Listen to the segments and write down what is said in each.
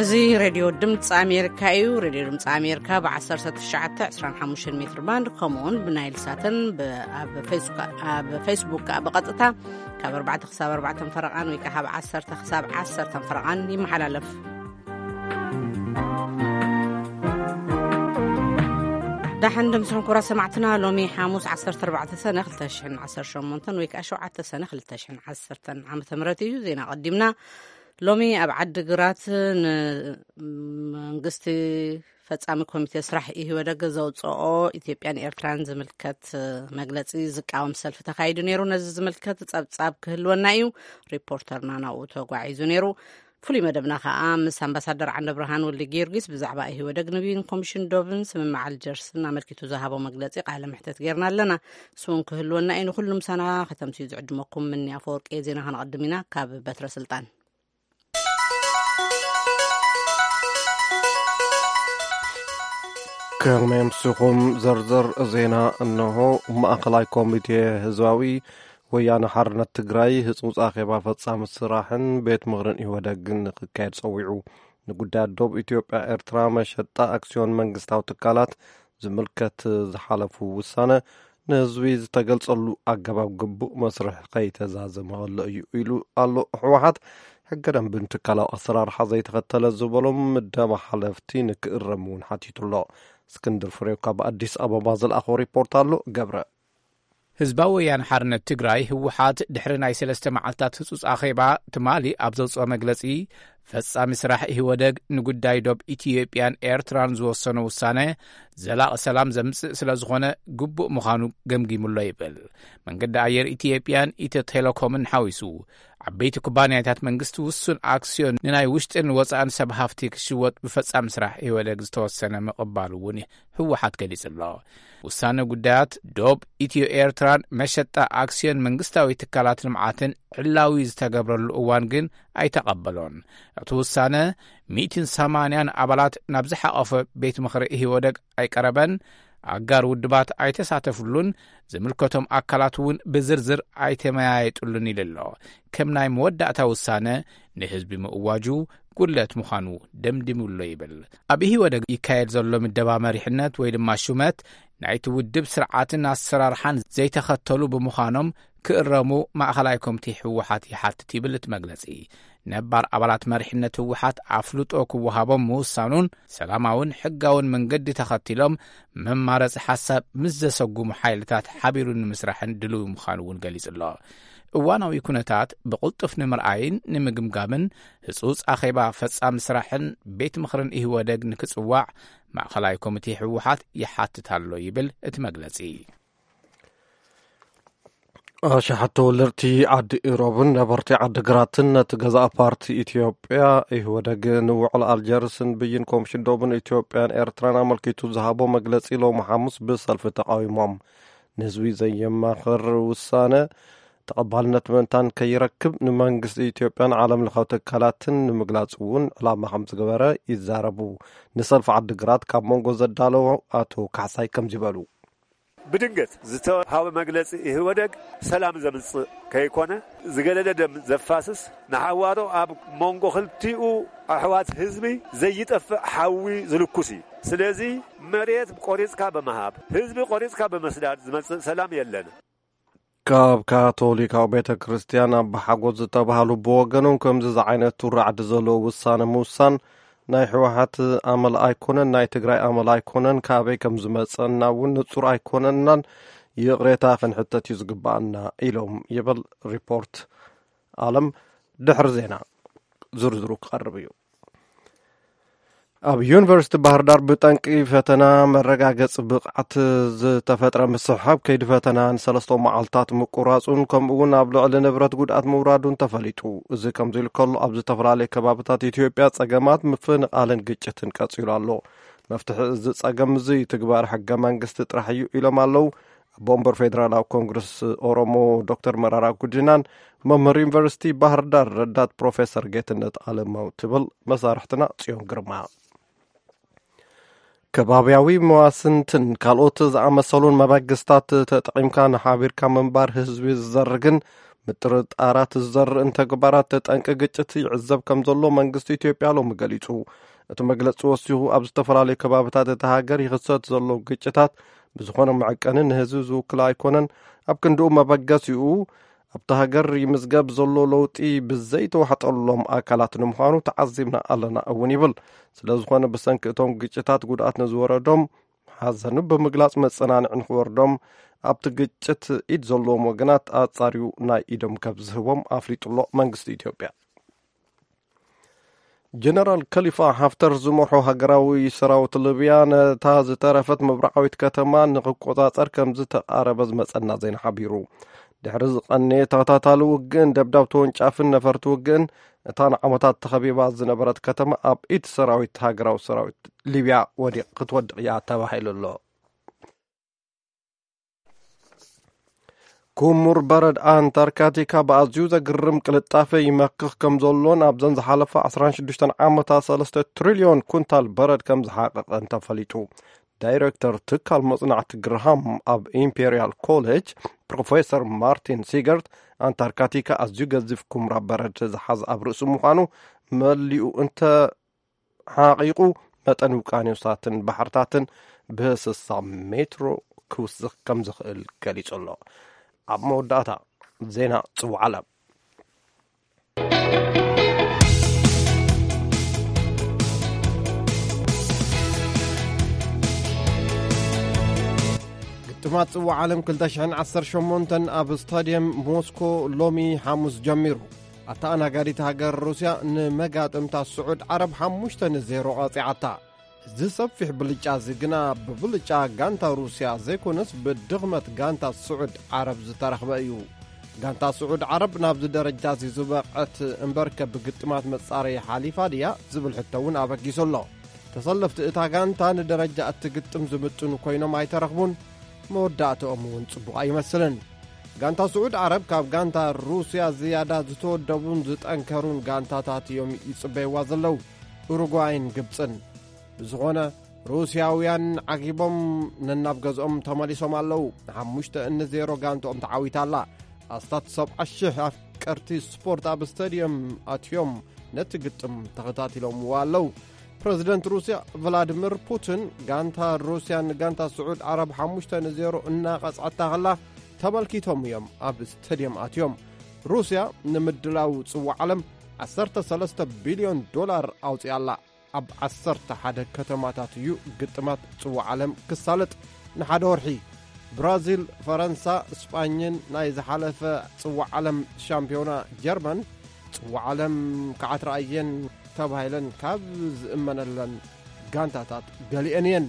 እዚ ሬድዮ ድምፂ ኣሜሪካ እዩ። ሬድዮ ድምፂ ኣሜሪካ ብ1925 ሜትር ባንድ፣ ከምኡውን ብናይል ሳትን ብ-፣ ኣብ ፌስቡክ፣ ኣብ ፌስቡክ ከዓ ብቐጥታ ካብ 4 ክሳብ 4 ፈረቓን ወይ ከዓ ካብ 10 ክሳብ 10 ፈረቓን ይመሓላለፍ። ዳሕን ድምስኹም ክቡራት ሰማዕትና፣ ሎሚ ሓሙስ 14 ሰነ 2018 ወይ ከዓ 7 ሰነ 2010 ዓመተ ምህረት እዩ። ዜና ቀዲምና። ሎሚ ኣብ ዓዲ ግራት ንመንግስቲ ፈጻሚ ኮሚቴ ስራሕ ኢህወደግ ዘውፅኦ ኢትዮጵያን ኤርትራን ዝምልከት መግለጺ ዝቃወም ሰልፊ ተኻይዱ ነይሩ። ነዚ ዝምልከት ጸብጻብ ክህልወና እዩ። ሪፖርተርና ናብኡ ተጓዒዙ ነይሩ። ፍሉይ መደብና ከኣ ምስ ኣምባሳደር ዓንደ ብርሃን ወልደ ጊዮርጊስ ብዛዕባ ኢህወደግ ንብይን ኮሚሽን ዶብን ስምምዕ ኣልጀርስን ኣመልኪቱ ዝሃቦ መግለጺ ቃለ ምሕተት ጌርና ኣለና። እሱ እውን ክህልወና እዩ። ንኹሉ ምሳና ከተምስዩ ዝዕድመኩም ምኒ ኣፈወርቂ። ዜና ከነቐድም ኢና ካብ በትረ ስልጣን። ከመይ ኣምሲኹም? ዝርዝር ዜና እነሆ። ማእኸላይ ኮሚቴ ህዝባዊ ወያነ ሓርነት ትግራይ ህጹጽ ኣኼባ ፈጻሚ ስራሕን ቤት ምኽርን ኢህወደግን ንክካየድ ጸዊዑ። ንጉዳያት ዶብ ኢትዮጵያ ኤርትራ መሸጣ ኣክስዮን መንግስታዊ ትካላት ዝምልከት ዝሓለፉ ውሳነ ንህዝቢ ዝተገልጸሉ ኣገባብ ግቡእ መስርሕ ከይተዛዘመ ከሎ እዩ ኢሉ ኣሎ። ህወሓት ሕገ ደንብን ትካላዊ ኣሰራርሓ ዘይተኸተለ ዝበሎም ምደባ ሓለፍቲ ንክእረም እውን ሓቲቱ ኣሎ። እስክንድር ፍሬው ካብ ኣዲስ ኣበባ ዝለኣኾ ሪፖርት ኣሎ። ገብረ። ህዝባዊ ወያነ ሓርነት ትግራይ ህወሓት ድሕሪ ናይ ሰለስተ መዓልታት ህጹጽ ኣኼባ ትማሊ ኣብ ዘውጽኦ መግለጺ፣ ፈጻሚ ስራሕ ኢህወደግ ንጉዳይ ዶብ ኢትዮጵያን ኤርትራን ዝወሰኖ ውሳነ ዘላቒ ሰላም ዘምጽእ ስለ ዝኾነ ግቡእ ምዃኑ ገምጊሙሎ ይብል። መንገዲ ኣየር ኢትዮጵያን ኢትዮ ቴሌኮምን ሓዊሱ ዓበይቲ ኩባንያታት መንግስቲ ውሱን ኣክስዮን ንናይ ውሽጥን ወጻእን ሰብ ሃፍቲ ክሽወጥ ብፈጻሚ ስራሕ ኢህወደግ ዝተወሰነ ምቕባሉ እውን ህወሓት ገሊጹ ኣሎ። ውሳነ ጉዳያት ዶብ ኢትዮ ኤርትራን መሸጣ ኣክስዮን መንግስታዊ ትካላት ልምዓትን ዕላዊ ዝተገብረሉ እዋን ግን ኣይተቐበሎን። እቲ ውሳነ 180 ኣባላት ናብ ዝሓቐፈ ቤት ምኽሪ ኢህወደግ ኣይቀረበን። ኣጋር ውድባት ኣይተሳተፍሉን። ዝምልከቶም ኣካላት እውን ብዝርዝር ኣይተመያየጥሉን ኢሉ ኣሎ። ከም ናይ መወዳእታ ውሳነ ንህዝቢ ምእዋጁ ጉድለት ምዃኑ ደምዲሙሎ ይብል። ኣብ ኢህወደግ ይካየድ ዘሎ ምደባ መሪሕነት ወይ ድማ ሹመት ናይቲ ውድብ ስርዓትን ኣሰራርሓን ዘይተኸተሉ ብምዃኖም ክእረሙ ማእኸላይ ኮሚቴ ህወሓት ይሓትት ይብል እቲ መግለጺ። ነባር ኣባላት መሪሕነት ህወሓት ኣፍልጦ ክወሃቦም ምውሳኑን ሰላማውን ሕጋውን መንገዲ ተኸቲሎም መማረፂ ሓሳብ ምስ ዘሰጉሙ ሓይልታት ሓቢሩ ንምስራሕን ድልው ምዃኑ እውን ገሊጹ ኣሎ። እዋናዊ ኩነታት ብቕልጡፍ ንምርኣይን ንምግምጋምን ህጹጽ ኣኼባ ፈጻሚ ስራሕን ቤት ምኽርን ኢህወደግ ንክጽዋዕ ማእኸላይ ኮሚቴ ህወሓት ይሓትት ኣሎ ይብል እቲ መግለጺ። ኣሽሓት ተወለድቲ ዓዲ ኢሮብን ነበርቲ ዓዲ ግራትን ነቲ ገዛእ ፓርቲ ኢትዮጵያ ኢህወደግ ንውዕል ኣልጀርስን ብይን ኮሚሽን ዶብን ኢትዮጵያን ኤርትራን ኣመልኪቱ ዝሃቦ መግለጺ ሎሚ ሓሙስ ብሰልፊ ተቃዊሞም። ንህዝቢ ዘየማኽር ውሳነ ተቐባልነት ምእንታን ከይረክብ ንመንግስቲ ኢትዮጵያን ዓለም ለኻዊ ትካላትን ንምግላጽ እውን ዕላማ ከም ዝገበረ ይዛረቡ። ንሰልፊ ዓዲ ግራት ካብ መንጎ ዘዳለዎ ኣቶ ካሕሳይ ከምዚ በሉ። ብድንገት ዝተሃወ መግለጺ ኢህወደግ ሰላም ዘምጽእ ከይኮነ፣ ዝገደደ ደም ዘፋስስ፣ ንሓዋሮ ኣብ መንጎ ክልቲኡ ኣሕዋት ህዝቢ ዘይጠፍእ ሓዊ ዝልኩስ እዩ። ስለዚ መሬት ቆሪጽካ ብምሃብ፣ ህዝቢ ቆሪጽካ ብምስዳድ ዝመጽእ ሰላም የለን። ካብ ካቶሊካዊ ቤተ ክርስቲያን ኣባ ሓጎስ ዝተባህሉ ብወገኖም፣ ከምዚ ዝዓይነቱ ራዕዲ ዘለዎ ውሳነ ምውሳን ናይ ህወሓት ኣመል ኣይኮነን፣ ናይ ትግራይ ኣመል ኣይኮነን፣ ካበይ ከም ዝመጸና እውን ንጹር ኣይኮነናን፣ ይቕሬታ ክንሕተት እዩ ዝግባኣና ኢሎም ይብል ሪፖርት ዓለም። ድሕሪ ዜና ዝርዝሩ ክቐርብ እዩ። ኣብ ዩኒቨርሲቲ ባህር ዳር ብጠንቂ ፈተና መረጋገጺ ብቕዓት ዝተፈጥረ ምስሕሓብ ከይዲ ፈተና ንሰለስተ መዓልታት ምቁራጹን ከምኡ እውን ኣብ ልዕሊ ንብረት ጉድኣት ምውራዱን ተፈሊጡ። እዚ ከምዚ ኢሉ ከሎ፣ ኣብ ዝተፈላለዩ ከባብታት ኢትዮጵያ ጸገማት ምፍንቓልን ግጭትን ቀጺሉ ኣሎ። መፍትሒ እዚ ጸገም እዚ ትግባር ሕገ መንግስቲ ጥራሕ እዩ ኢሎም ኣለዉ። ኣቦ ወንበር ፌደራላዊ ኮንግረስ ኦሮሞ ዶክተር መራራ ጉዲናን መምህር ዩኒቨርሲቲ ባህር ዳር ረዳት ፕሮፌሰር ጌትነት ኣለማው ትብል መሳርሕትና ጽዮን ግርማ። ከባብያዊ መዋስንትን ካልኦት ዝኣመሰሉን መበግስታት ተጠቒምካ ንሓቢርካ ምንባር ህዝቢ ዝዘርግን ምጥርጣራት ዝዘርእን ተግባራት ጠንቂ ግጭት ይዕዘብ ከም ዘሎ መንግስቲ ኢትዮጵያ ሎሚ ገሊጹ። እቲ መግለጺ ወሲኹ፣ ኣብ ዝተፈላለዩ ከባብታት እታ ሃገር ይኽሰት ዘሎ ግጭታት ብዝኾነ መዐቀኒ ንህዝቢ ዝውክል ኣይኮነን። ኣብ ክንድኡ መበገሲኡ ኣብታ ሃገር ይምዝገብ ዘሎ ለውጢ ብዘይተዋሕጠሎም ኣካላት ንምዃኑ ተዓዚብና ኣለና እውን ይብል። ስለ ዝኾነ ብሰንኪ እቶም ግጭታት ጉድኣት ንዝወረዶም ሓዘኑ ብምግላጽ መጸናንዒ ንኽወርዶም ኣብቲ ግጭት ኢድ ዘለዎም ወገናት ኣጻርዩ ናይ ኢዶም ከም ዝህቦም ኣፍሊጡ ኣሎ መንግስቲ ኢትዮጵያ። ጀነራል ከሊፋ ሓፍተር ዝመርሖ ሃገራዊ ሰራዊት ሊብያ ነታ ዝተረፈት ምብራቓዊት ከተማ ንኽቆጻጸር ከም ዝተቓረበ ዝመጸና ዜና ሓቢሩ። ድሕሪ ዝቐነየ ተኸታታሊ ውግእን ደብዳብ ተወንጫፍን ነፈርቲ ውግእን፣ እታ ንዓመታት ተኸቢባ ዝነበረት ከተማ ኣብ ኢድ ሰራዊት ሃገራዊ ሰራዊት ሊብያ ወዲቕ ክትወድቕ እያ ተባሂሉ ኣሎ። ኩሙር በረድ ኣንታርክቲካ ብኣዝዩ ዘግርም ቅልጣፈ ይመክኽ ከም ዘሎን ኣብዘን ዝሓለፋ ዓሰርተ ሽዱሽተ ዓመታት ሰለስተ ትሪልዮን ኩንታል በረድ ከም ዝሓቐቐን ተፈሊጡ። ዳይሬክተር ትካል መጽናዕቲ ግርሃም ኣብ ኢምፔርያል ኮሌጅ ፕሮፌሰር ማርቲን ሲገርት፣ ኣንታርክቲካ ኣዝዩ ገዚፍ ኩምራ በረድ ዝሓዘ ኣብ ርእሱ ምዃኑ፣ መሊኡ እንተ ሓቒቑ መጠን ውቅያኖሳትን ባሕርታትን ብስሳ ሜትሮ ክውስኽ ከም ዝኽእል ገሊጹ ኣሎ። ኣብ መወዳእታ ዜና ጽውዓ ዓለም። ግጥማት ጽውዓ ዓለም ክልተ ሽሕን ዓሰርተ ሸሞንተን ኣብ ስታድየም ሞስኮ ሎሚ ሓሙስ ጀሚሩ። ኣተኣናጋዲት ሃገር ሩስያ ንመጋጥምታ ስዑድ ዓረብ ሓሙሽተ ንዜሮ ቀጺዓታ። እዚ ሰፊሕ ብልጫ እዚ ግና ብብልጫ ጋንታ ሩስያ ዘይኮነስ ብድኽመት ጋንታ ስዑድ ዓረብ ዝተረኽበ እዩ። ጋንታ ስዑድ ዓረብ ናብዚ ደረጃ እዚ ዝበቕዐት እምበርከ ብግጥማት መጻረዪ ሓሊፋ ድያ ዝብል ሕቶ እውን ኣበጊሱ ኣሎ። ተሰለፍቲ እታ ጋንታ ንደረጃ እቲ ግጥም ዝምጥኑ ኮይኖም ኣይተረኽቡን። መወዳእትኦም እውን ጽቡቕ ኣይመስልን። ጋንታ ስዑድ ዓረብ ካብ ጋንታ ሩስያ ዝያዳ ዝተወደቡን ዝጠንከሩን ጋንታታት እዮም ይጽበይዋ ዘለዉ፣ ኡሩጓይን ግብጽን። ብዝኾነ፣ ሩስያውያን ዓጊቦም ነናብ ገዝኦም ተመሊሶም ኣለዉ። ንሓሙሽተ ንዜሮ ጋንትኦም ተዓዊታ ኣላ። ኣስታት ሰብዓ ሽሕ ኣፍቀርቲ ስፖርት ኣብ ስታድየም ኣትዮም ነቲ ግጥም ተኸታቲሎምዎ ኣለዉ። ፕረዚደንት ሩስያ ቭላድሚር ፑቲን፣ ጋንታ ሩስያ ንጋንታ ስዑድ ዓረብ ሓሙሽተ ንዜሮ እናቐጽዐታ ከላ ተመልኪቶም እዮም ኣብ ስታድየም ኣትዮም። ሩስያ ንምድላው ጽዋዕ ዓለም ዓሰርተ ሰለስተ ቢልዮን ዶላር ኣውጺኣ ኣላ። ኣብ ዓሰርተ ሓደ ከተማታት እዩ ግጥማት ጽዋዕ ዓለም ክሳለጥ። ንሓደ ወርሒ ብራዚል፣ ፈረንሳ፣ ስጳኝን ናይ ዝሓለፈ ጽዋዕ ዓለም ሻምፒዮና ጀርመን ጽዋዕ ዓለም ክዓትራ እየን ተባሂለን ካብ ዝእመነለን ጋንታታት ገሊአን እየን።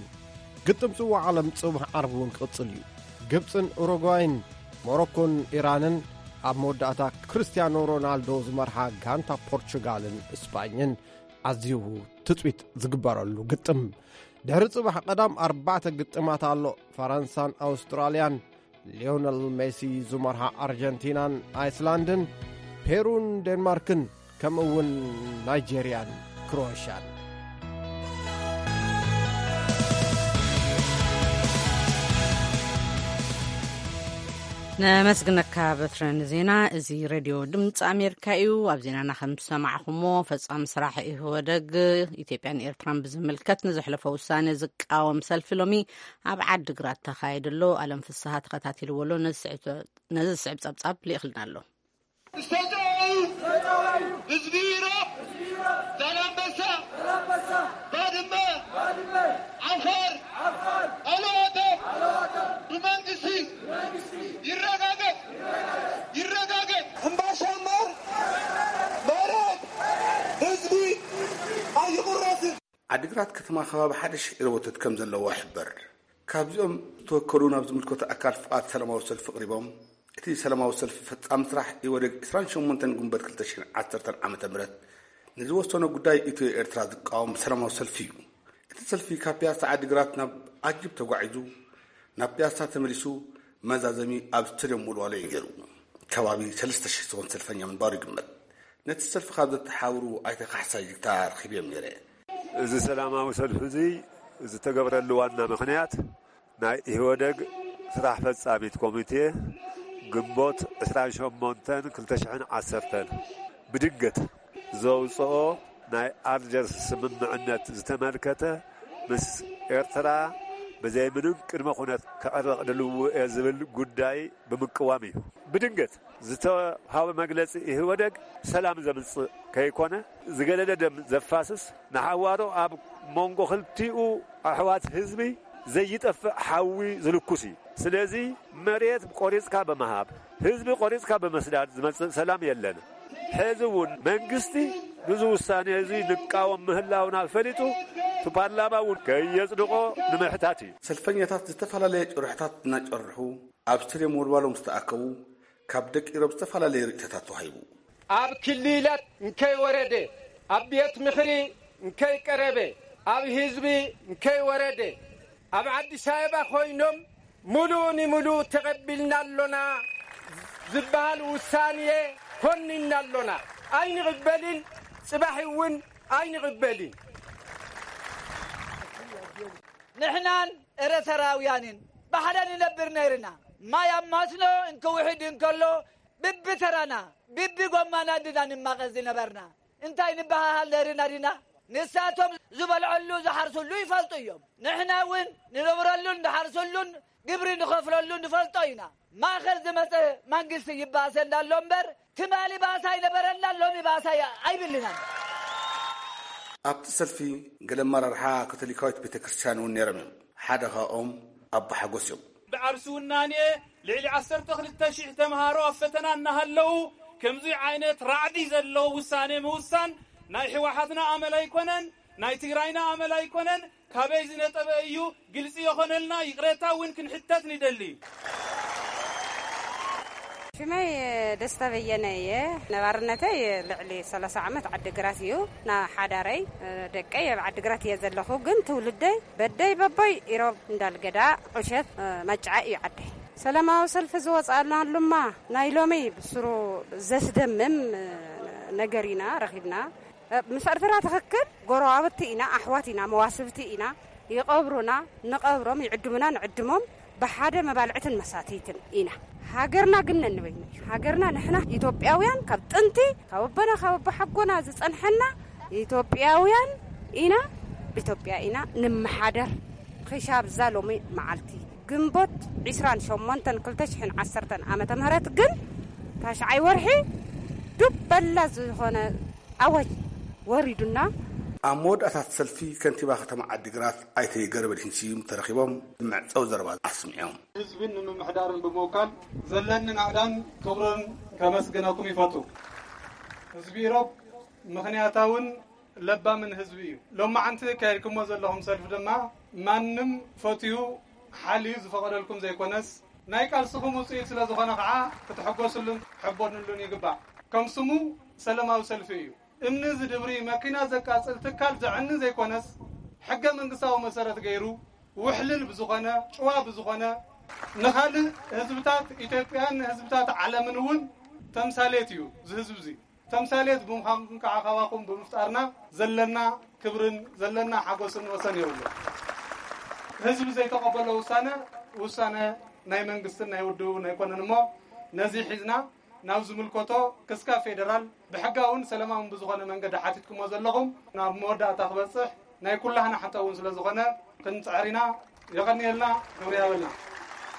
ግጥም ጽዋዕ ዓለም ጽባሕ ዓርቢ እውን ክቕጽል እዩ። ግብጽን ኡሩጓይን፣ ሞሮኮን ኢራንን፣ ኣብ መወዳእታ ክርስቲያኖ ሮናልዶ ዝመርሓ ጋንታ ፖርቹጋልን ስጳኝን ኣዝዩ ትጽቢት ዝግበረሉ ግጥም። ድሕሪ ጽባሕ ቀዳም ኣርባዕተ ግጥማት ኣሎ። ፈረንሳን ኣውስትራልያን፣ ሊዮነል ሜሲ ዝመርሓ ኣርጀንቲናን ኣይስላንድን፣ ፔሩን ዴንማርክን፣ ከምኡ እውን ናይጄርያን ክሮኤሽያን። ነመስግነካ በትረ ንዜና። እዚ ሬድዮ ድምፂ ኣሜሪካ እዩ። ኣብ ዜናና ከም ዝሰማዕኹሞ፣ ፈጻሚ ስራሕ ኢህወደግ ኢትዮጵያን ኤርትራን ብዝምልከት ንዘሕለፎ ውሳነ ዝቃወም ሰልፊ ሎሚ ኣብ ዓዲግራት ተኻይዱ ኣሎ። ኣለም ፍስሃ ተኸታቲልዎ ኣሎ። ነዚ ስዕብ፣ ነዚ ዝስዕብ ጸብጻብ ልኢኽልና ኣሎ። ዝተጋዩ ህዝቢ ኢሮብ፣ ዛላምበሳ፣ ባድመ፣ ዓፋር፣ ኣለዋተ ብመንግስቲ ይረጋገጥ፣ ይረጋገጥ። እምባሻ እምበር መሬት ህዝቢ ኣይቑረስን። ዓዲግራት ከተማ ከባቢ ሓደ ሽሕ ኢሮቦታት ከም ዘለዋ ይሕበር። ካብዚኦም ዝተወከሉ ናብ ዝምልከቶ ኣካል ፍቓድ ሰላማዊ ሰልፊ ኣቕሪቦም፣ እቲ ሰላማዊ ሰልፊ ፈጻሚ ስራሕ ኢህወዴግ ዕስራን ሸሞንተን ግንቦት ክልተ ሽሕን ዓሰርተን ዓመተ ምህረት ንዝወሰኖ ጉዳይ ኢትዮ ኤርትራ ዝቃወም ሰላማዊ ሰልፊ እዩ። እቲ ሰልፊ ካብ ፒያሳ ዓዲግራት ናብ ኣጅብ ተጓዒዙ፣ ናብ ፒያሳ ተመሊሱ፣ መዛዘሚ ኣብ ስቴድየም ወልዋሎ እዩ ገይሩ። ከባቢ ሰለስተ ሽሕ ዝኸውን ሰልፈኛ ምንባሩ ይግመት። ነቲ ሰልፊ ካብ ዘተሓባብሩ ኣይተ ካሕሳይ ጅግታ ረኺበዮም ነይረ። እዚ ሰላማዊ ሰልፊ እዚ ዝተገብረሉ ዋና ምኽንያት፣ ናይ ኢህወደግ ስራሕ ፈጻሚት ኮሚቴ ግንቦት ዕስራን ሸሞንተን ክልተ ሽሕን ዓሰርተን ብድንገት ዘውፅኦ ናይ ኣልጀርስ ስምምዕነት ዝተመልከተ፣ ምስ ኤርትራ ብዘይ ምንም ቅድመ ኩነት ከዕርቕ ድልው እየ ዝብል ጉዳይ ብምቅዋም እዩ። ብድንገት ዝተሃወ መግለጺ ኢህወደግ ሰላም ዘምጽእ ከይኮነ፣ ዝገደደ ደም ዘፋስስ፣ ንሓዋሩ ኣብ መንጎ ክልቲኡ ኣሕዋት ህዝቢ ዘይጠፍእ ሓዊ ዝልኩስ እዩ። ስለዚ መሬት ቆሪጽካ ብምሃብ፣ ህዝቢ ቆሪጽካ ብምስዳድ ዝመጽእ ሰላም የለን። ሕዚ እውን መንግስቲ ንዚ ውሳኔ እዚ ንቃወም ምህላውና ፈሊጡ፣ እቲ ፓርላማ እውን ከየጽድቆ ንምሕታት እዩ። ሰልፈኛታት ዝተፈላለየ ጭርሕታት እናጨርሑ ኣብ ስቴድየም ወልዋሎ ምስ ተኣከቡ፣ ካብ ደቂ ኢሮብ ዝተፈላለየ ርእይቶታት ተዋሂቡ። ኣብ ክልላት እንከይወረደ፣ ኣብ ቤት ምኽሪ እንከይቀረበ፣ ኣብ ህዝቢ እንከይወረደ፣ ኣብ ኣዲስ ኣበባ ኮይኖም ምሉእ ንምሉእ ተቐቢልና ኣሎና ዝበሃል ውሳኔ ኮኒንና ኣሎና። ኣይንቕበልን፣ ጽባሕ እውን ኣይንቕበልን። ንሕናን ኤርትራውያንን ብሓደ ንነብር ነይርና። ማይ ኣብ ማስኖ እንክውሕድ እንከሎ ብብተራና፣ ብብጎማና እንድና ንማቐስ ዝነበርና። እንታይ ንበሃሃል ነይርና ዲና? ንሳቶም ዝበልዐሉ ዝሓርሱሉ ይፈልጡ እዮም። ንሕና እውን ንነብረሉን ንሓርሱሉን ግብሪ ንኸፍለሉ ንፈልጦ ኢና። ማእኸል ዝመጸ መንግስቲ ይባሰ እንዳሎ እምበር፣ ትማሊ ባእሲ ኣይነበረና፣ ሎሚ ባእሲ ኣይ-፣ ኣይብልናን። ኣብቲ ሰልፊ ገለ ኣመራርሓ ካቶሊካዊት ቤተ ክርስቲያን እውን ነይሮም እዮም። ሓደ ካብኦም ኣባ ሓጎስ እዮም። ብዓርሲ ውናኔ ልዕሊ ዓሰርተ ክልተ ሽሕ ተምሃሮ ኣብ ፈተና እናሃለዉ፣ ከምዚ ዓይነት ራዕዲ ዘለዎ ውሳኔ ምውሳን ናይ ህወሓትና ኣመል ኣይኮነን፣ ናይ ትግራይና ኣመል ኣይኮነን። ካበይ ዝነጠበ እዩ? ግልጺ የኾነልና፣ ይቕሬታ እውን ክንሕተት ንደሊ። ሽመይ ደስታ በየነ እየ። ነባርነተይ ልዕሊ ሰላሳ ዓመት ዓዲግራት እዩ። ና ሓዳረይ፣ ደቀይ ኣብ ዓዲግራት እየ ዘለኹ፣ ግን ትውልደይ በደይ በቦይ ኢሮብ እንዳልገዳ ዑሸት፣ መጫዓ እዩ ዓደይ። ሰላማዊ ሰልፊ ዝወፅኣናሉማ ናይ ሎሚ ብስሩ ዘስደምም ነገር ኢና ረኺብና። ምስ ኤርትራ ትኽክል፣ ጎረባብቲ ኢና፣ ኣሕዋት ኢና፣ መዋስብቲ ኢና። ይቐብሩና፣ ንቐብሮም፣ ይዕድሙና፣ ንዕድሞም። ብሓደ መባልዕትን መሳትይትን ኢና። ሃገርና ግን ነንበይና እዩ። ሃገርና ንሕና ኢትዮጵያውያን ካብ ጥንቲ፣ ካብ ኣቦና፣ ካብ ኣቦሓጎና ዝጸንሐና ኢትዮጵያውያን ኢና። ብኢትዮጵያ ኢና ንመሓደር። ክሻብ እዛ ሎሚ መዓልቲ ግንቦት ዕስራን ሸሞንተን ክልተ ሽሕን ዓሰርተን ዓመተ ምህረት ግን ታሽዓይ ወርሒ ዱብ በላ ዝኾነ ኣዋጅ ወሪዱና። ኣብ መወዳእታት ሰልፊ ከንቲባ ከተማ ዓዲግራት ኣይተ ገረመድሂን ስዩም ተረኺቦም መዕጸዊ ዘረባ ኣስሚዖም። ህዝብን ንምምሕዳርን ብምውካል ዘለኒ ናእዳን ክብርን ከመስግነኩም ይፈቱ። ህዝቢ ኢሮብ ምኽንያታውን ለባምን ህዝቢ እዩ። ሎማዓንቲ ካየድኩሞ ዘለኹም ሰልፊ ድማ ማንም ፈትዩ ሓልዩ ዝፈቐደልኩም ዘይኮነስ ናይ ቃልስኹም ውፅኢት ስለ ዝኾነ ከዓ ክትሕጎስሉን ክትሕበኑሉን ይግባእ። ከም ስሙ ሰላማዊ ሰልፊ እዩ። እምኒ ዝድብሪ፣ መኪና ዘቃፅል፣ ትካል ዘዕኒ ዘይኮነስ ሕገ መንግስታዊ መሰረት ገይሩ ውሕልል ብዝኾነ፣ ጭዋ ብዝኾነ፣ ንኻልእ ህዝብታት ኢትዮጵያን ንህዝብታት ዓለምን እውን ተምሳሌት እዩ። እዚ ህዝቢ እዚ ተምሳሌት ብምዃንኩም ከዓ ካባኹም ብምፍጣርና ዘለና ክብርን ዘለና ሓጎስን ወሰን የብሉ። ህዝቢ ዘይተቐበሎ ውሳነ፣ ውሳነ ናይ መንግስትን ናይ ውድብን ኣይኮነን እሞ ነዚ ሒዝና ናብ ዝምልከቶ ክስካ ፌደራል ብሕጋውን ሰላማውን ብዝኾነ መንገዲ ሓቲትኩሞ ዘለኹም ናብ መወዳእታ ክበጽሕ ናይ ኩላህና ሓቶ እውን ስለ ዝኾነ ክንጽዕር ኢና። የቐንየልና፣ ክብሪ ይሃበልና።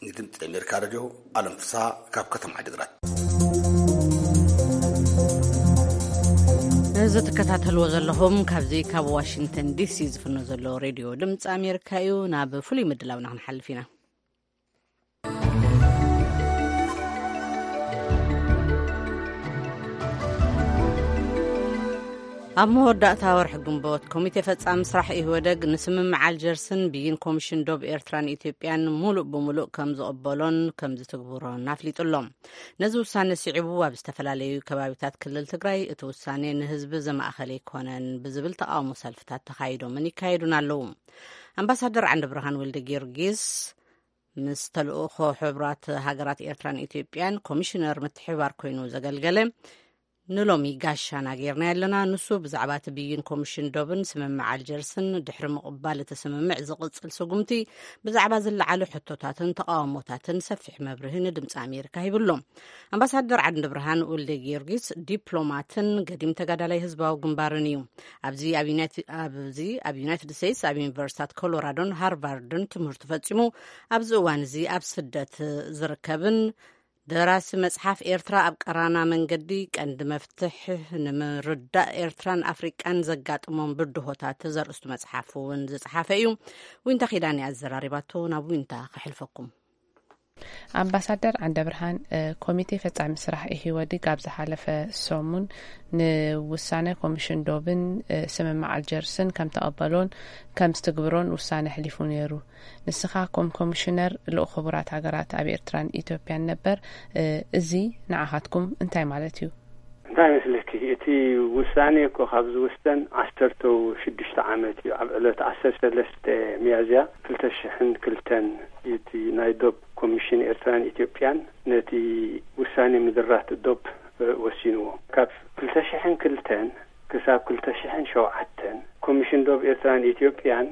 ንድምፂ ኣሜሪካ ሬድዮ ኣለም ፍስሃ ካብ ከተማ ዓዲግራት። እዚ ትከታተልዎ ዘለኹም ካብዚ ካብ ዋሽንግተን ዲሲ ዝፍኖ ዘሎ ሬድዮ ድምፂ ኣሜሪካ እዩ። ናብ ፍሉይ ምድላውና ክንሓልፍ ኢና። ኣብ መወዳእታ ወርሒ ግንቦት፣ ኮሚቴ ፈጻሚ ስራሕ ኢህወደግ ንስምምዕ ኣልጀርስን ብይን ኮሚሽን ዶብ ኤርትራን ኢትዮጵያን ሙሉእ ብሙሉእ ከም ዝቕበሎን ከም ዝትግብሮን ኣፍሊጡ ኣሎ። ነዚ ውሳነ ስዒቡ፣ ኣብ ዝተፈላለዩ ከባቢታት ክልል ትግራይ እቲ ውሳኔ ንህዝቢ ዘማእኸለ ኣይኮነን ብዝብል ተቓውሞ ሰልፍታት ተኻይዶምን ይካየዱን ኣለዉ። ኣምባሳደር ዓንደብርሃን ወልደ ጊዮርጊስ፣ ምስ ተልእኾ ሕቡራት ሃገራት ኤርትራን ኢትዮጵያን ኮሚሽነር ምትሕብባር ኮይኑ ዘገልገለ ንሎሚ ጋሻና ጌርና ያለና። ንሱ ብዛዕባ እቲ ብይን ኮሚሽን ዶብን ስምምዕ ኣልጀርስን ድሕሪ ምቕባል እቲ ስምምዕ ዝቕጽል ስጉምቲ ብዛዕባ ዝለዓሉ ሕቶታትን ተቃውሞታትን ሰፊሕ መብርሂ ንድምፂ ኣሜሪካ ሂብሎም። ኣምባሳደር ዓንደ ብርሃን ወልደ ጊዮርጊስ ዲፕሎማትን ገዲም ተጋዳላይ ህዝባዊ ግንባርን እዩ። ኣብዚ ኣብ ዩናይት-፣ ኣብዚ ኣብ ዩናይትድ ስቴትስ ኣብ ዩኒቨርሲታት ኮሎራዶን ሃርቫርድን ትምህርቱ ፈጺሙ ኣብዚ እዋን እዚ ኣብ ስደት ዝርከብን ደራሲ መጽሓፍ ኤርትራ ኣብ ቀራና መንገዲ ቀንዲ መፍትሕ ንምርዳእ ኤርትራን ኣፍሪቃን ዘጋጥሞም ብድሆታት ዘርእስቱ መጽሓፍ እውን ዝጸሓፈ እዩ። ዊንታ ኪዳን ኣዘራሪባቶ ናብ ዊንታ ከሕልፈኩም። ኣምባሳደር ዓንደ ብርሃን፣ ኮሚቴ ፈጻሚ ስራሕ ኢህወዴግ ኣብ ዝሓለፈ ሰሙን ንውሳነ ኮሚሽን ዶብን ስምምዕ ኣልጀርስን ከም ተቐበሎን ከም ዝትግብሮን ውሳነ ኣሕሊፉ ነይሩ። ንስኻ ከም ኮሚሽነር ልኡኽ ሕቡራት ሃገራት ኣብ ኤርትራን ኢትዮጵያን ነበር፣ እዚ ንዓኻትኩም እንታይ ማለት እዩ? እንታይ መስለኪ፣ እቲ ውሳኔ እኮ ካብ ዝውሰን ዓሰርተ ሽዱሽተ ዓመት እዩ። ኣብ ዕለት ዓሰርተ ሰለስተ ሚያዝያ ክልተ ሽሕን ክልተን እቲ ናይ ዶብ ኮሚሽን ኤርትራን ኢትዮጵያን ነቲ ውሳኔ ምድራት ዶብ ወሲንዎ። ካብ ክልተ ሽሕን ክልተን ክሳብ ክልተ ሽሕን ሸውዓተን ኮሚሽን ዶብ ኤርትራን ኢትዮጵያን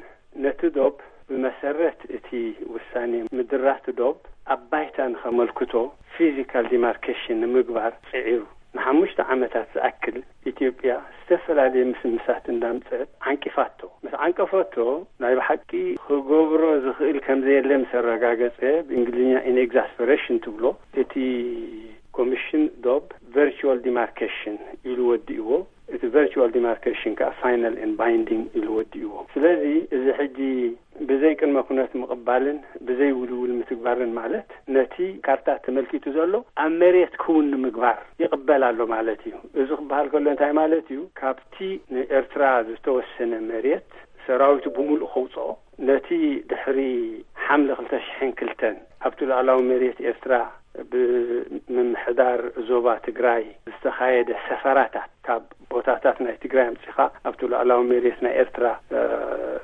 ነቲ ዶብ ብመሰረት እቲ ውሳኔ ምድራት ዶብ ኣብ ባይታ ንኸመልክቶ ፊዚካል ዲማርኬሽን ንምግባር ጽዒሩ። ንሓሙሽተ ዓመታት ዝኣክል ኢትዮጵያ ዝተፈላለየ ምስምሳት እንዳምጸት ዓንቂፋቶ። ምስ ዓንቀፈቶ ናይ ብሓቂ ክገብሮ ዝኽእል ከም ዘየለ ምስ ኣረጋገጸ፣ ብእንግሊዝኛ ኢን ኤግዛስፐሬሽን ትብሎ፣ እቲ ኮሚሽን ዶብ ቨርቹዋል ዲማርኬሽን ኢሉ ወዲእዎ። እቲ ቨርቹዋል ዲማርኬሽን ከዓ ፋይናል ኤንድ ባይንዲንግ ኢሉ ወዲእዎ። ስለዚ እዚ ሕጂ ብዘይ ቅድመ ኩነት ምቕባልን ብዘይ ውልውል ምትግባርን ማለት ነቲ ካርታ ተመልኪቱ ዘሎ ኣብ መሬት ክውን ንምግባር ይቕበል ኣሎ ማለት እዩ። እዚ ክበሃል ከሎ እንታይ ማለት እዩ? ካብቲ ንኤርትራ ዝተወሰነ መሬት ሰራዊቱ ብምሉእ ከውፅኦ፣ ነቲ ድሕሪ ሓምለ ክልተ ሽሕን ክልተን ኣብቲ ሉዓላዊ መሬት ኤርትራ ብምምሕዳር ዞባ ትግራይ ዝተኻየደ ሰፈራታት፣ ካብ ቦታታት ናይ ትግራይ ኣምጺኻ ኣብቲ ሉዓላዊ መሬት ናይ ኤርትራ፣ እ፣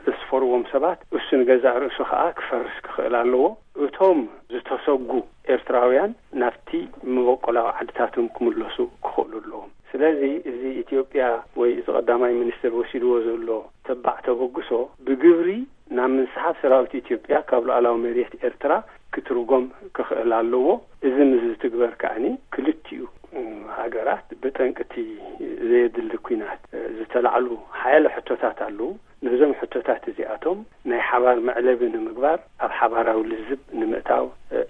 ዝስፈርዎም ሰባት፣ እሱ ንገዛእ ርእሱ ኸኣ ክፈርስ ክኽእል ኣለዎ። እቶም ዝተሰጉ ኤርትራውያን ናብቲ መበቆላዊ ዓድታቶም ክምለሱ ክኽእሉ ኣለዎም። ስለዚ እዚ ኢትዮጵያ ወይ እዚ ቀዳማይ ሚኒስትር ወሲድዎ ዘሎ ተባዕ ተበግሶ ብግብሪ ናብ ምንስሓብ ሰራዊት ኢትዮጵያ ካብ ሉዓላዊ መሬት ኤርትራ ክትርጎም ክኽእል ኣለዎ። እዚ ምስ ዝትግበር ከኣኒ ክልቲኡ ሃገራት ብጠንቅቲ ዘየድሊ ኲናት ዝተላዕሉ ሓያለ ሕቶታት ኣለዉ። ነዞም ሕቶታት እዚኣቶም ናይ ሓባር መዕለቢ ንምግባር ኣብ ሓባራዊ ልዝብ ንምእታው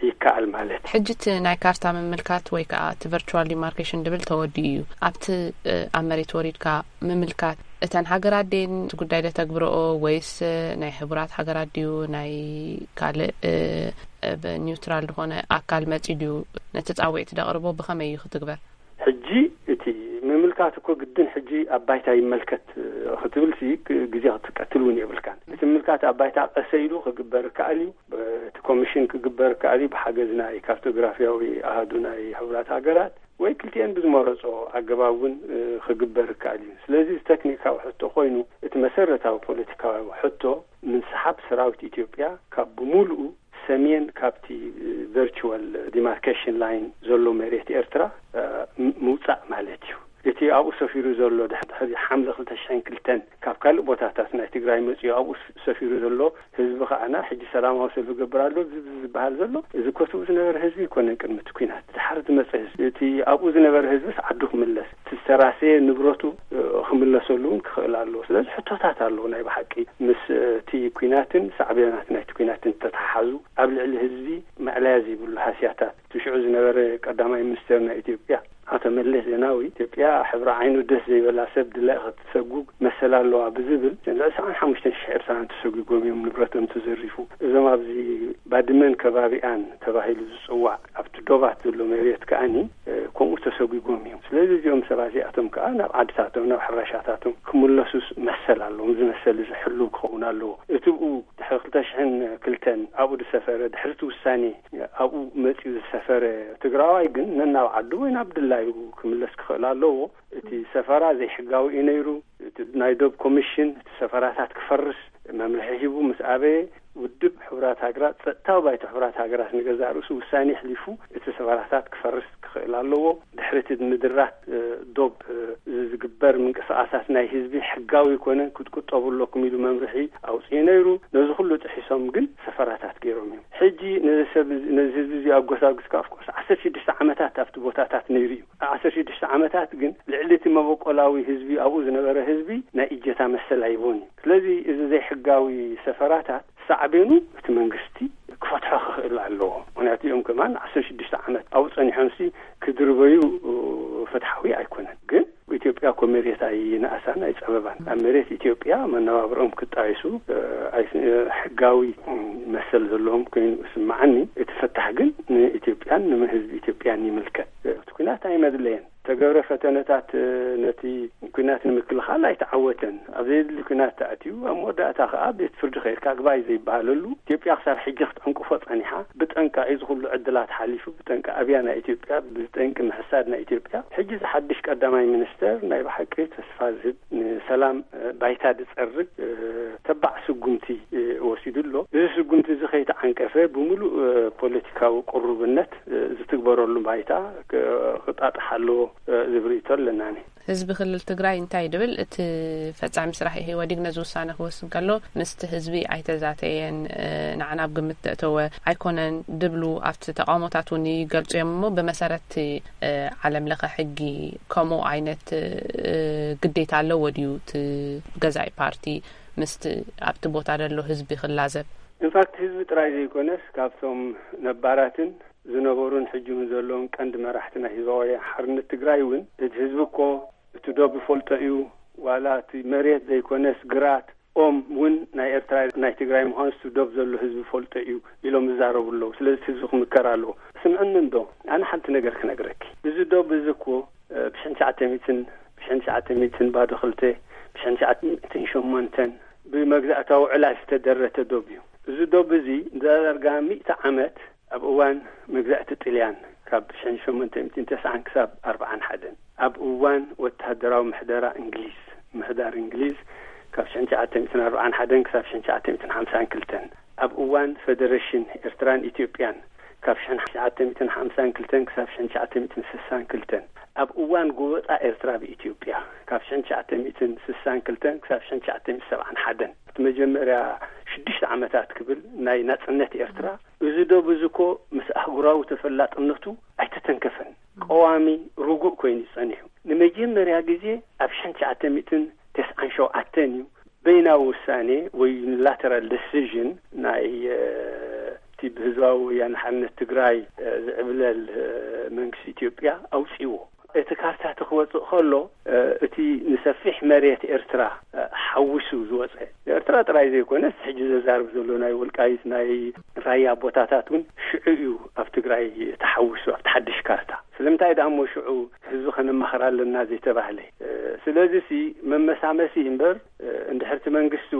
ይከኣል ማለት እዩ። ሕጂ እቲ ናይ ካርታ ምምልካት ወይ ከዓ እቲ ቨርቹዋል ዲማርኬሽን ድብል ተወዲኡ እዩ። ኣብቲ፣ እ፣ ኣብ መሬት ወሪድካ ምምልካት እተን ሃገራት ድየን እቲ ጉዳይ ደተግብረኦ ወይስ፣ እ፣ ናይ ሕቡራት ሃገራት ድዩ ናይ ካልእ፣ እ፣ እ፣ ብ-፣ ኒውትራል ዝኾነ ኣካል መጺ ድዩ ነቲ ጻውዒት ደቕርቦ ብኸመይ እዩ ክትግበር? ሕጂ እቲ ምምልካት እኮ ግድን ሕጂ ኣብ ባይታ ይመልከት፣ እ፣ ክትብል ሲ ክ-፣ ግዜ ክትቀትል እውን የብልካን። እቲ ምምልካት ኣብ ባይታ ቀሰ ኢሉ ክግበር ይከኣል እዩ። ብ-፣ እቲ ኮሚሽን ክግበር ይከኣል እዩ ብሓገዝ ናይ ካርቶግራፊያዊ ኣሃዱ ናይ ሕቡራት ሃገራት ወይ ክልቲኤን ብዝመረጾ ኣገባብ እውን፣ እ፣ ክግበር ይከኣል እዩ። ስለዚ እዚ ተክኒካዊ ሕቶ ኮይኑ እቲ መሰረታዊ ፖለቲካዊ ሕቶ ምንስሓብ ሰራዊት ኢትዮጵያ ካብ ብምሉኡ ሰሜን ካብቲ ቨርቹዋል ዲማርኬሽን ላይን ዘሎ መሬት ኤርትራ፣ እ፣ ም-፣ ምውጻእ ማለት እዩ። እቲ ኣብኡ ሰፊሩ ዘሎ ድሕ-፣ ድሕሪ ሓምለ ክልተ ሽሕን ክልተን ካብ ካልእ ቦታታት ናይ ትግራይ መጺኡ ኣብኡ ስ-፣ ሰፊሩ ዘሎ ህዝቢ ከኣና ሕጂ ሰላማዊ ሰልፊ ገብር ኣሎ ዝ-፣ ዝ-፣ ዝበሃል ዘሎ፣ እዚ ኮትኡ ዝነበረ ህዝቢ ኣይኮነን። ቅድሚ እቲ ኲናት ድሓር ዝመጸ ህዝቢ፣ እቲ ኣብኡ ዝነበረ ህዝብስ ዓዱ ክምለስ፣ እቲ ዝተራሰየ ንብረቱ፣ እ፣ ክምለሰሉ እውን ክኽእል ኣለዎ። ስለዚ ሕቶታት ኣለዎ ናይ ብሓቂ ምስ፣ እ፣ እቲ ኲናትን ሳዕቤናት ናይቲ ኲናትን ተተሓሓዙ ኣብ ልዕሊ ህዝቢ መዕለያ ዘይብሉ ሃስያታት። እቲ ሽዑ ዝነበረ ቀዳማይ ሚኒስትር ናይ ኢትዮጵያ ኣቶ መለስ ዜናዊ፣ ኢትዮጵያ ሕብሪ ዓይኑ ደስ ዘይበላ ሰብ ድላ ክትሰጉግ መሰል ኣለዋ ብዝብል ልዕሊ ሰብዓን ሓሙሽተን ሽሕ ኤርትራውያን ተሰጒጎም እዮም፣ ንብረቶም ተዘሪፉ። እዞም ኣብዚ ባድመን ከባቢኣን ተባሂሉ ዝጽዋዕ ኣብቲ ዶባት ዘሎ መሬት ከኣኒ፣ እ፣ ከምኡ ተሰጒጎም እዮም። ስለዚ እዚኦም ሰባት እዚኣቶም ከኣ ናብ ዓድታቶም፣ ናብ ሕራሻታቶም ክምለሱስ መሰል ኣለዎም። እዚ መሰል እዚ ሕሉው ክኸውን ኣለዎ። እቲ ብኡ ድሕሪ ክልተ ሽሕን ክልተን ኣብኡ ዝሰፈረ፣ ድሕሪ እቲ ውሳኔ ኣብኡ መጺኡ ዝሰፈረ ትግራዋይ ግን ነናብ ዓዱ ወይ ናብ ድላዩ ክምለስ ክኽእል ኣለዎ። እቲ ሰፈራ ዘይሕጋዊ እዩ ነይሩ። እቲ ናይ ዶብ ኮሚሽን እቲ ሰፈራታት ክፈርስ መምርሒ ሂቡ ምስ ኣበየ፣ ውድብ ሕቡራት ሃገራት፣ ጸጥታዊ ባይቶ ሕቡራት ሃገራት ንገዛእ ርእሱ ውሳኔ ኣሕሊፉ እቲ ሰፈራታት ክፈርስ ክኽእል ኣለዎ። ድሕሪ እቲ ምድራት፣ እ፣ ዶብ ዝግበር ምንቅስቃሳት ናይ ህዝቢ ሕጋዊ ይኮነን ክትቁጠቡ ኣለኩም ኢሉ መምርሒ ኣውፅኡ ነይሩ። ነዚ ኩሉ ጥሒሶም ግን ሰፈራታት ገይሮም እዮም። ሕጂ ነዚ ሰብ ነዚ ህዝቢ እዚ ኣጎሳጉስካ ኣፍኮርስ ዓሰርተ ሽዱሽተ ዓመታት ኣብቲ ቦታታት ነይሩ እዩ። ዓሰርተ ሽዱሽተ ዓመታት ግን ልዕሊ እቲ መበቆላዊ ህዝቢ ኣብኡ ዝነበረ ህዝቢ ናይ እጀታ መሰል ኣይቦን እዩ። ስለዚ እዚ ዘይሕጋዊ ሰፈራታት ሳዕቤኑ እቲ መንግስቲ ክፈትሖ ክኽእል ኣለዎ። ምክንያቱ እዮም ከማን ዓሰርተ ሽዱሽተ ዓመት ኣብኡ ፀኒሖምሲ ክድርበዩ ፍትሓዊ ኣይኮነን። ግን ኢትዮጵያ እኮ መሬት ኣይነኣሳን ኣይፀበባን። ኣብ መሬት ኢትዮጵያ መነባብሮኦም ክጣይሱ ሕጋዊ መሰል ዘለዎም ኮይኑ ስምዓኒ። እቲ ፈታሕ ግን ንኢትዮጵያን ንህዝቢ ኢትዮጵያን ይምልከት። እቲ ኩናት ኣይመድለየን። ተገብረ ፈተነታት ነቲ ኩናት ንምክልኻል ኣይተዓወተን። ኣብ ዘየድሊ ኩናት ተኣትዩ ኣብ መወዳእታ ከዓ ቤት ፍርዲ ከይድካ ኣግባይ ዘይበሃለሉ ኢትዮጵያ ክሳብ ሕጂ ክትዕንቅፎ ፀኒሓ። ብጠንቃ እዚ ኩሉ ዕድላት ሓሊፉ ብጠንቂ ኣብያ ናይ ኢትዮጵያ ብጠንቂ ምሕሳድ ናይ ኢትዮጵያ ሕጂ ዝሓድሽ ቀዳማይ ሚኒስተር ናይ ብሓቂ ተስፋ ዝህብ ንሰላም ባይታ ዝፀርግ ተባዕ ስጉምቲ ወሲዱ ኣሎ። እዚ ስጉምቲ እዚ ከይተዓንቀፈ ብምሉእ ፖለቲካዊ ቅሩብነት ዝትግበረሉ ባይታ ክጣጥሕ ኣለዎ ዝብል ርእይቶ ኣለናኒ። ህዝቢ ክልል ትግራይ እንታይ ድብል እቲ ፈጻሚ ስራሕ ኢህወዲግ ነዚ ውሳነ ክወስን ከሎ ምስቲ ህዝቢ ኣይተዛተየን፣ ንዓና ኣብ ግምት ዘእተወ ኣይኮነን ድብሉ ኣብቲ ተቃውሞታት እውን ይገልጹ እዮም። እሞ ብመሰረት ዓለም ለኸ ሕጊ ከምኡ ዓይነት ግዴታ ኣለዎ ድዩ እቲ ገዛኢ ፓርቲ ምስቲ ኣብቲ ቦታ ዘሎ ህዝቢ ክላዘብ? ኢንፋክት ህዝቢ ጥራይ ዘይኮነስ ካብቶም ነባራትን ዝነበሩን ሕጂ እውን ዘለውን ቀንዲ መራሕቲ ናይ ህዝባዊ ሓርነት ትግራይ እውን እቲ ህዝቢ እኮ እቲ ዶብ ይፈልጦ እዩ፣ ዋላ እቲ መሬት ዘይኮነስ ግራት ኦም እውን ናይ ኤርትራ ናይ ትግራይ ምዃኑ እቲ ዶብ ዘሎ ህዝቢ ይፈልጦ እዩ ኢሎም ይዛረቡ ኣለዉ። ስለዚ እቲ ህዝቢ ክምከር ኣለዎ። ስምዕኒ እንዶ ኣነ ሓንቲ ነገር ክነግረኪ። እዚ ዶብ እዚ እኮ ብሽሕን ትሽዓተ ሚእትን ብሽሕን ትሽዓተ ሚእትን ባዶ ክልተ ብሽሕን ትሽዓተ ሚእትን ሸሞንተን ብመግዛእታዊ ዕላል ዝተደረተ ዶብ እዩ። እዚ ዶብ እዚ ንዳርጋ ሚእቲ ዓመት ኣብ እዋን መግዛእቲ ጥልያን ካብ ሽሕን ሸሞንተ ሚእትን ተስዓን ክሳብ ኣርብዓን ሓደን ኣብ እዋን ወተሃደራዊ ምሕደራ እንግሊዝ ምሕዳር እንግሊዝ ካብ ሽሕን ትሽዓተ ሚእትን ኣርብዓን ሓደን ክሳብ ሽሕን ትሽዓተ ሚእትን ሓምሳን ክልተን ኣብ እዋን ፈደረሽን ኤርትራን ኢትዮጵያን ካብ ሽሕን ትሽዓተ ሚእትን ሓምሳን ክልተን ክሳብ ሽሕን ትሽዓተ ሚእትን ስሳን ክልተን ኣብ እዋን ጎበጣ ኤርትራ ብኢትዮጵያ ካብ ሽሕን ትሽዓተ ሚእትን ስሳን ክልተን ክሳብ ሽሕን ትሽዓተ ሚእትን ሰብዓን ሓደን እቲ መጀመርያ ሽዱሽተ ዓመታት ክብል ናይ ናጽነት ኤርትራ እዚ ዶ ብዝኮ ምስ ኣህጉራዊ ተፈላጥነቱ ኣይተተንከፈን። ቀዋሚ ርጉእ ኮይኑ ጸኒሑ ንመጀመርያ ግዜ ኣብ ሽሕን ትሽዓተ ሚእትን ተስዓን ሸውዓተን እዩ በይናዊ ውሳኔ ወይ ዩኒላተራል ደሲዥን ናይ እቲ ብህዝባዊ ወያነ ሓርነት ትግራይ ዝዕብለል መንግስቲ ኢትዮጵያ ኣውፅዎ። እቲ ካርታ እቲ ክወፅእ ከሎ እቲ ንሰፊሕ መሬት ኤርትራ ሓዊሱ ዝወፀ ኤርትራ ጥራይ ዘይኮነስ ሕጂ ዘዛርብ ዘሎ ናይ ወልቃይት ናይ ራያ ቦታታት እውን ሽዑ እዩ ኣብ ትግራይ ተሓዊሱ ኣብቲ ሓድሽ ካርታ። ስለምንታይ ደኣ እሞ ሽዑ ህዝቢ ከነማኽር ኣለና ዘይተባህለ? ስለዚ ሲ መመሳመሲ እምበር እንድሕርቲ መንግስቱ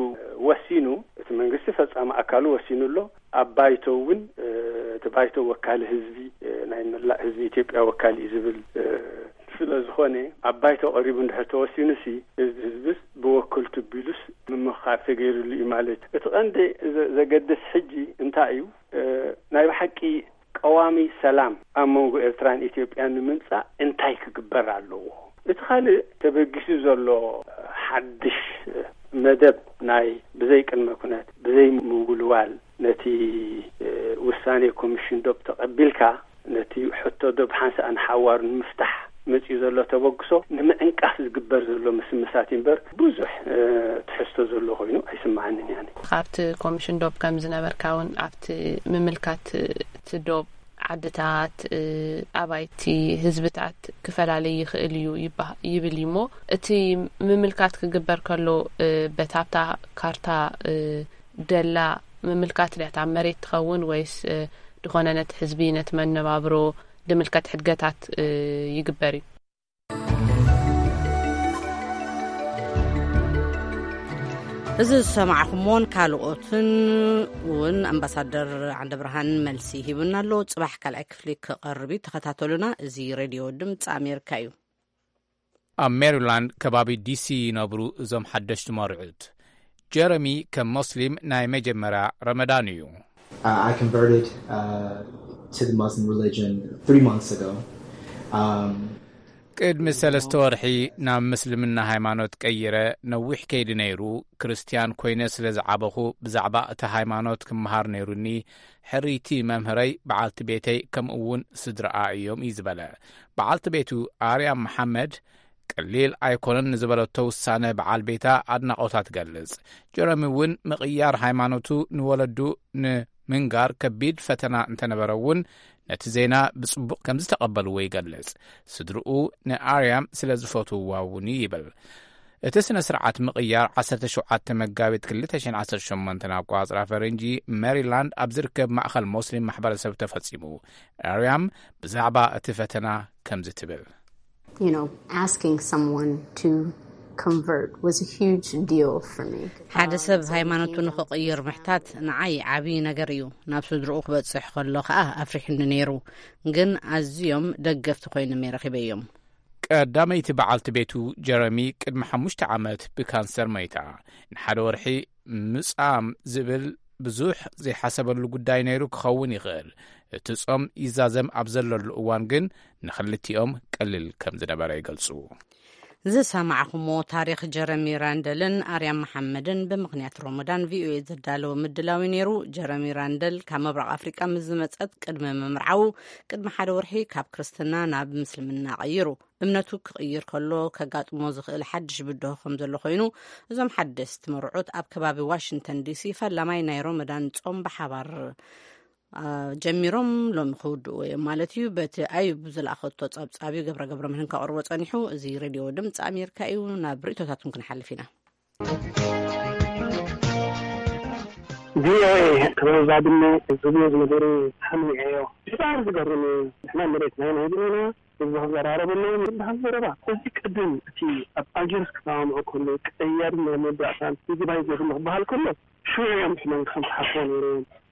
ወሲኑ እቲ መንግስቲ ፈፃሚ ኣካሉ ወሲኑ ኣሎ። ኣብ ባይቶ እውን እቲ ባይቶ ወካሊ ህዝቢ ናይ መላእ ህዝቢ ኢትዮጵያ ወካሊ እዩ ዝብል ስለ ዝኾነ ኣብ ባይቶ ቀሪቡ እንድሕር ተወሲኑ ሲ እዚ ህዝብስ ብወከልቱ ቢሉስ ምምኻር ተገይሩሉ እዩ ማለት እዩ። እቲ ቀንዲ ዘገድስ ሕጂ እንታይ እዩ? ናይ ብሓቂ ቀዋሚ ሰላም ኣብ መንጎ ኤርትራን ኢትዮጵያን ንምምጻእ እንታይ ክግበር ኣለዎ? እቲ ካልእ ተበጊሱ ዘሎ ሓድሽ መደብ ናይ ብዘይ ቅድመ ኩነት ብዘይ ምውልዋል ነቲ ውሳኔ ኮሚሽን ዶብ ተቐቢልካ ነቲ ሕቶ ዶብ ሓንሳእ ንሓዋሩ ንምፍታሕ መጺኡ ዘሎ ተበግሶ ንምዕንቃፍ ዝግበር ዘሎ ምስምሳት እምበር ብዙሕ ትሕዝቶ ዘሎ ኮይኑ ኣይስምዓንን። ያኒ ካብቲ ኮሚሽን ዶብ ከም ዝነበርካ እውን ኣብቲ ምምልካት እቲ ዶብ ዓድታት ኣባይቲ ህዝብታት ክፈላለይ ይኽእል እዩ ይብል እዩ። እሞ እቲ ምምልካት ክግበር ከሎ በታብታ ካርታ ደላ ምምልካት ድያት ኣብ መሬት ትኸውን ወይስ ዝኾነ ነቲ ህዝቢ ነቲ መነባብሮ ድምልከት ሕድገታት ይግበር እዩ? እዚ ዝሰማዕኹምዎን ካልኦትን እውን ኣምባሳደር ዓንደ ብርሃን መልሲ ሂቡና ኣሎ። ጽባሕ ካልኣይ ክፍሊ ክቐርብ እዩ። ተኸታተሉና። እዚ ሬድዮ ድምፂ ኣሜሪካ እዩ። ኣብ ሜሪላንድ ከባቢ ዲሲ ይነብሩ እዞም ሓደሽቲ መርዑት። ጀረሚ ከም ሞስሊም ናይ መጀመርያ ረመዳን እዩ። Uh, I converted uh, to the Muslim religion three months ago. Um, ቅድሚ ሰለስተ ወርሒ ናብ ምስልምና ሃይማኖት ቀይረ፣ ነዊሕ ከይዲ ነይሩ። ክርስትያን ኮይነ ስለ ዝዓበኹ፣ ብዛዕባ እቲ ሃይማኖት ክመሃር ነይሩኒ። ሕርይቲ መምህረይ፣ በዓልቲ ቤተይ፣ ከምኡ እውን ስድራኣ እዮም እዩ ዝበለ። በዓልቲ ቤቱ ኣርያም መሓመድ፣ ቀሊል ኣይኮነን ንዝበለቶ ውሳነ በዓል ቤታ ኣድናቖታ ትገልጽ። ጀረሚ እውን ምቕያር ሃይማኖቱ ንወለዱ ንምንጋር ከቢድ ፈተና እንተነበረ እውን፣ ነቲ ዜና ብጽቡቕ ከም ዝተቐበልዎ ይገልጽ። ስድርኡ ንኣርያም ስለ ዝፈትውዋ እውን እዩ ይብል። እቲ ስነ ስርዓት ምቕያር ዓሰርተ ሸውዓተ መጋቢት ክልተ ሽሕን ዓሰርተ ሸሞንተን ኣቋጽራ ፈረንጂ፣ ሜሪላንድ ኣብ ዝርከብ ማእኸል ሞስሊም ማሕበረሰብ ተፈጺሙ። ኣርያም ብዛዕባ እቲ ፈተና ከምዚ ትብል። You know, asking someone to convert was a huge deal for me. ሓደ ሰብ ሃይማኖቱ ንኽቕይር ምሕታት ንዓይ ዓብዪ ነገር እዩ። ናብ ስድርኡ ክበጽሕ ከሎ ከኣ ኣፍሪሑኒ ነይሩ። ግን ኣዝዮም ደገፍቲ ኮይኖም እየ ረኺበዮም። ቀዳመይቲ በዓልቲ ቤቱ ጀረሚ ቅድሚ ሓሙሽተ ዓመት ብካንሰር መይታ። ንሓደ ወርሒ ምጻም ዝብል ብዙሕ ዘይሓሰበሉ ጉዳይ ነይሩ ክኸውን ይኽእል። እቲ ጾም ይዛዘም ኣብ ዘለሉ እዋን ግን ንኽልቲኦም ቀሊል ከም ዝነበረ ይገልጹ። ዝሰማዕኹሞ ታሪኽ ጀረሚ ራንደልን ኣርያም መሓመድን ብምኽንያት ሮሞዳን ቪኦኤ ዘዳለወ ምድላዊ ነይሩ። ጀረሚ ራንደል ካብ ምብራቕ ኣፍሪቃ ምስ ዝመጸት ቅድሚ ምምርዓዉ ቅድሚ ሓደ ወርሒ ካብ ክርስትና ናብ ምስልምና ቀይሩ። እምነቱ ክቕይር ከሎ ከጋጥሞ ዝኽእል ሓድሽ ብድሆ ከም ዘሎ ኮይኑ፣ እዞም ሓደስቲ መርዑት ኣብ ከባቢ ዋሽንግተን ዲሲ ፈላማይ ናይ ሮሞዳን ጾም ብሓባር ጀሚሮም ሎሚ ክውድእዎ እዮም ማለት እዩ። በቲ ኣዩብ ዝለኣኸቶ ጸብጻብ እዩ ገብረ ገብረ ምህን ከቕርቦ ጸኒሑ። እዚ ሬድዮ ድምፂ ኣሜሪካ እዩ። ናብ ርእቶታትኩም ክንሓልፍ ኢና። ቪኦኤ፣ ከባቢ ባድመ ዝብሉ ዝነበሩ ተሓሚዐዮ። ብጣዕሚ ዝገርም እዩ። ንሕና መሬት ናይና ይብሉና፣ ህዝቢ ክዘራረብ ኣለዎ ዝበሃል ዘረባ። እዚ ቅድም እቲ ኣብ ኣልጀርስ ክሰማምዑ ከለዉ ቀያዲ ናይ መወዳእታን ይግባይ ዘይብሉ ክበሃል ከሎ ሽዑ እዮም ሕመም ከም ዝሓስቦ ነይሩ።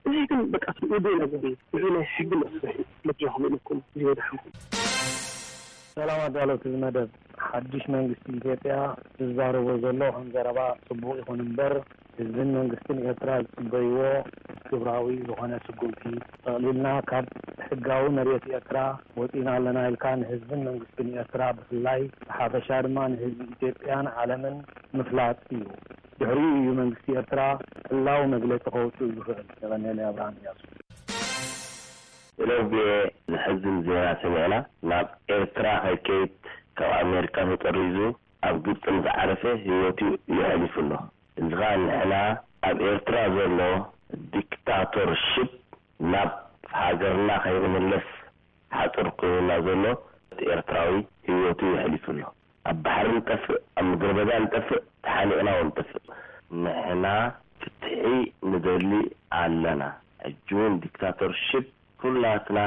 እዚ ግን በቃ እቲ ውዱእ ነገር እዩ። እዚ ናይ ሕጊ መስርሒ መድረኽ ኢለኩም ዝወዳሕኩም። ሰላም ኣዳለውቲ እዚ መደብ። ሓድሽ መንግስቲ ኢትዮጵያ ዝዛረቦ ዘሎ ከም ዘረባ ጽቡቕ ይኹን እምበር፣ ህዝብን መንግስትን ኤርትራ ዝጽበይዎ ግብራዊ ዝኾነ ስጉምቲ፣ ጠቕሊልና ካብ ሕጋዊ መሬት ኤርትራ ወጺና ኣለና ኢልካ ንህዝብን መንግስትን ኤርትራ ብፍላይ፣ ብሓፈሻ ድማ ንህዝቢ ኢትዮጵያን ዓለምን ምፍላጥ እዩ። ድሕሪኡ እዩ መንግስቲ ኤርትራ ዕላዊ መግለጺ ከውጽእ ዝኽእል። የቐንየለይ። ኣብርሃም እያሱ። ሎቤ፣ ዘሕዝን ዜና ሰሚዕና። ናብ ኤርትራ ከይከይድ ካብ ኣሜሪካ ተጠሪዙ ኣብ ግብጺ ምስ ዓረፈ ህይወቱ የሕሊፉ ኣሎ። እዚ ኸኣ ንሕና ኣብ ኤርትራ ዘሎ ዲክታቶርሽፕ ናብ ሃገርና ከይንምለስ ሓጹር ኮይኑና ዘሎ ኤርትራዊ ህይወቱ የሕሊፉ ኣሎ። ኣብ ባሕሪ ንጠፍእ፣ ኣብ ምድረ በዳ ንጠፍእ፣ ተሓኒቕና እውን ንጠፍእ። ንሕና ፍትሒ ንደሊ ኣለና። ሕጂ እውን ዲክታቶርሽፕ ኩላትና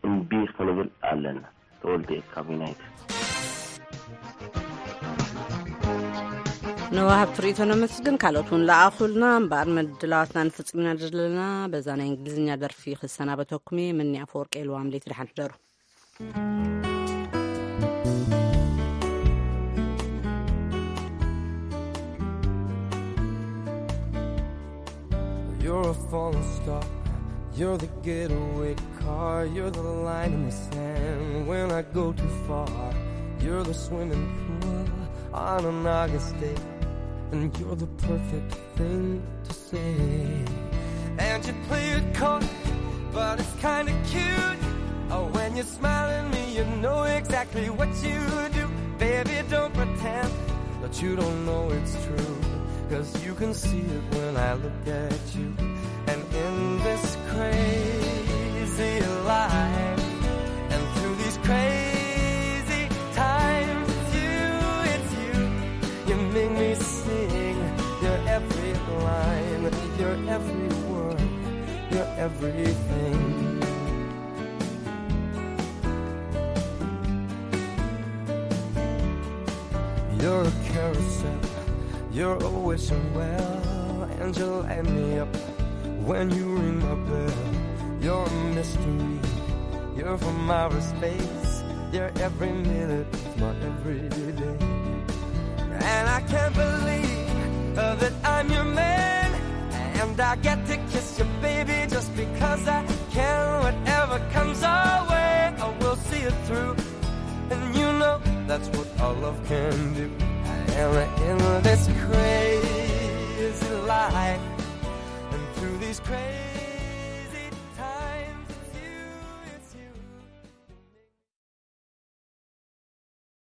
እምቢ ክንብል ኣለና። ተወልደ ካብ ዩናይትድ። ንወሃብቲ ርእይቶ ነመስግን። ካልኦት እውን ለኣኹልና። እምበኣር ምድላዋትና ንፍጽም ኢና ዘለና። በዛ ናይ እንግሊዝኛ ደርፊ ክሰናበተኩም እየ። ምኒ ኣፈወርቂ ኢልዋም ለይቲ ደሓን ሕደሩ። You're a falling star. You're the getaway car. You're the line in the sand when I go too far. You're the swimming pool on an August day. And you're the perfect thing to say. And you play it coy, but it's kinda cute. Oh, when you smile at me, you know exactly what you do. Baby, don't pretend that you don't know it's true. 'Cause you can see it when I look at you. And in this crazy life, and through these crazy times, it's you, it's you. You make me sing. You're every line, you're every word, you're everything. You're a carousel, you're always somewhere, and you light me up when you ring my bell. You're a mystery, you're from outer space, you're every minute of my everyday. And I can't believe uh, that I'm your man, and I get to kiss you, baby, just because I can. Whatever comes our way, I will see it through. And you know That's what all love can do. I am in this crazy life. And through these crazy